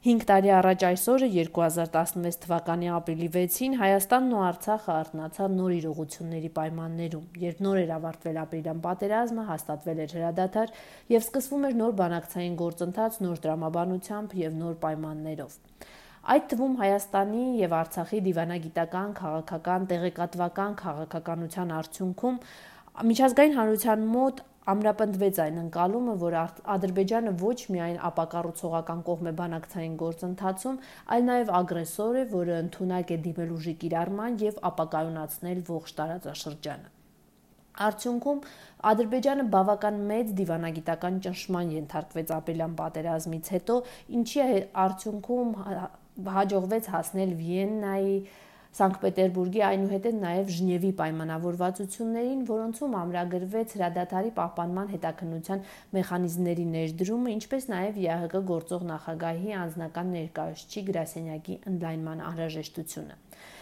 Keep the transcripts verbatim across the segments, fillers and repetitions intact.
Հինգ տարի առաջ այսօրը երկու հազար տասնվեց թվականի ապրիլի վեցին Հայաստանն ու Արցախը արթնացան նոր իրողությունների պայմաններում, երբ նոր էր ավարտվել ապրիլյան պատերազմը, հաստատվել էր հրադադար եւ սկսվում էր նոր բանակցային գործընթաց նոր տրամաբանությամբ եւ նոր պայմաններով։ Այդ թվում Հայաստանի եւ Արցախի դիվանագիտական, քաղաքական, տեղեկատվական քաղաքականության արդյունքում միջազգային հանրության մոտ ամրապնդվեց այն ընկալումը, որ Ադրբեջանը ոչ միայն ապակառուցողական կողմ է բանակցային գործընթացում, այլ նաև ագրեսոր է, որը ընդունակ է դիմել ուժի կիրառման եւ ապակայունացնել ողջ տարածաշրջանը։ Արդյունքում Ադրբեջանը բավական մեծ դիվանագիտական ճնշման ենթարկվեց ապրիլյան պատերազմից հետո, ինչի արդյունքում հաջողվեց հասնել Վիեննայի, Սանկտ Պետերբուրգի, այնուհետև նաև Ժնևի պայմանավորվածություններին, որոնցում ամրագրվեց հրադադարի պահպանման հետաքննության մեխանիզմների ներդրումը, ինչպես նաև ԵԱՀԿ գործող նախագահի անձնական ներկայացուցիչ գրասենյակի ընդլայնման անհրաժեշտությունը։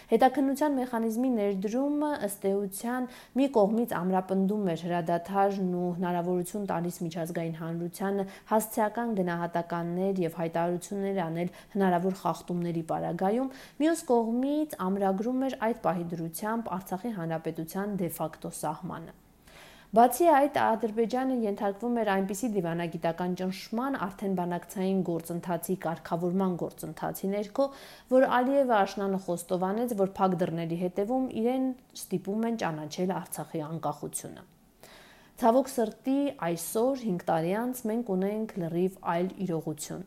Հետաքննության մեխանիզմի ներդրումը ըստ էության մի կողմից ամրապնդում էր հրադադարն ու հնարավորություն տալիս միջազգային հանրությանը հասցեական գնահատականներ եւ հայտարարություններ անել հնարավոր խախտումների պարագայում, մյուս կողմից ամրագրում էր այդ պահի դրությամբ Արցախի հանրապետության դեֆակտո սահմանը։ Բացի այդ, Ադրբեջանը ենթարկվում էր այնպիսի դիվանագիտական ճնշման արդեն բանակցային գործընթացի կարգավորման գործընթացի ներքո, որ Ալիևը աշնանը խոստովանեց, որ փակ դռների հետևում իրեն ստիպում են ճանաչել Արցախի անկախությունը։ Ցավոք սրտի, այսօր հինգ տարի անց մենք ունենք լրիվ այլ իրողություն։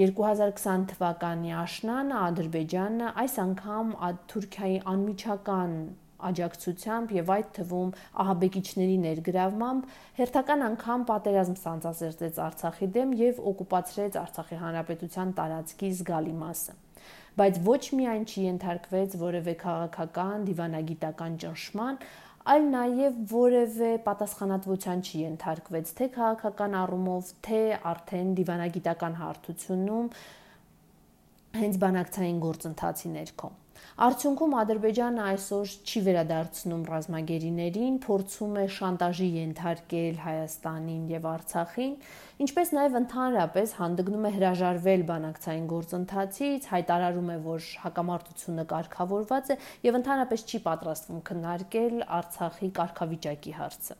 երկու հազար քսան թվականի աշնանը Ադրբեջանը այս անգամ Թուրքիայի անմիջական աջակցությամբ եւ այդ թվում ահաբեկիչների ներգրավմամբ հերթական անգամ պատերազմ սանձազերծեց Արցախի դեմ եւ օկուպացրեց Արցախի հանրապետության տարածքի զգալի մասը։ Բայց ոչ միայն չի ենթարկվեց որևէ քաղաքական, դիվանագիտական ճնշման, այլ նաեւ որևէ պատասխանատվության չի ենթարկվեց թե քաղաքական առումով, թե արդեն դիվանագիտական հարթությունում հենց բանակցային գործընթացի ներքո։ Արդյունքում Ադրբեջանը այսօր չի վերադարձնում ռազմագերիներին, փորձում է շանտաժի ենթարկել Հայաստանին եւ Արցախին, ինչպես նաեւ ընդհանրապես հանդգնում է հրաժարվել բանակցային գործընթացից, հայտարարում է, որ հակամարտությունը կարգավորված է եւ ընդհանրապես չի պատրաստվում քննարկել Արցախի կարգավիճակի հարցը։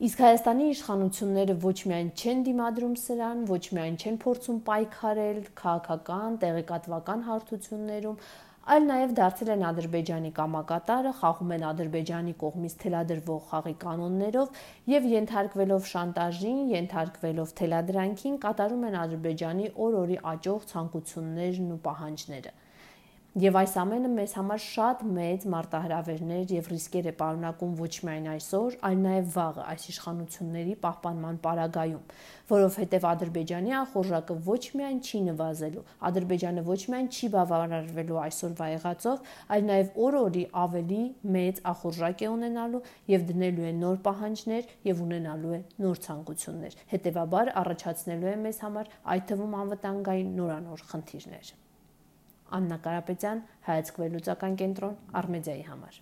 Իսկ Հայաստանի իշխանությունները ոչ միայն չեն դիմադրում սրան, ոչ միայն չեն փորձում պայքարել քաղաքական, տեղեկատվական հարթություններում, այլ նաև դարձել են Ադրբեջանի կամակատարը, խաղում են Ադրբեջանի կողմից թելադրվող խաղի կանոններով եւ ենթարկվելով շանտաժին, ենթարկվելով թելադրանքին, կատարում են Ադրբեջանի օր-օրի աճող ցանկություններն ու պահանջները։ Եվ այս ամենը մեզ համար շատ մեծ մարտահրավերներ եւ ռիսկեր է պարունակում ոչ միայն այսօր, այլ նաեւ վաղը այս իշխանությունների պահպանման պարագայում, որովհետեւ Ադրբեջանի ախորժակը ոչ միայն չի նվազելու, Ադրբեջանը ոչ միայն չի բավարարվելու այսօրվա եղածով, այլ նաեւ օր-օրի ավելի մեծ ախորժակ է ունենալու եւ դնելու է նոր պահանջներ եւ ունենալու է նոր ցանկություններ։ Հետեւաբար առաջացնելու է մեզ համար այդ թվում անվտանգային նորանոր խնդիրներ։ Աննա Կարապետյան, Հայացք վերլուծական կենտրոն, Արմեդիայի համար։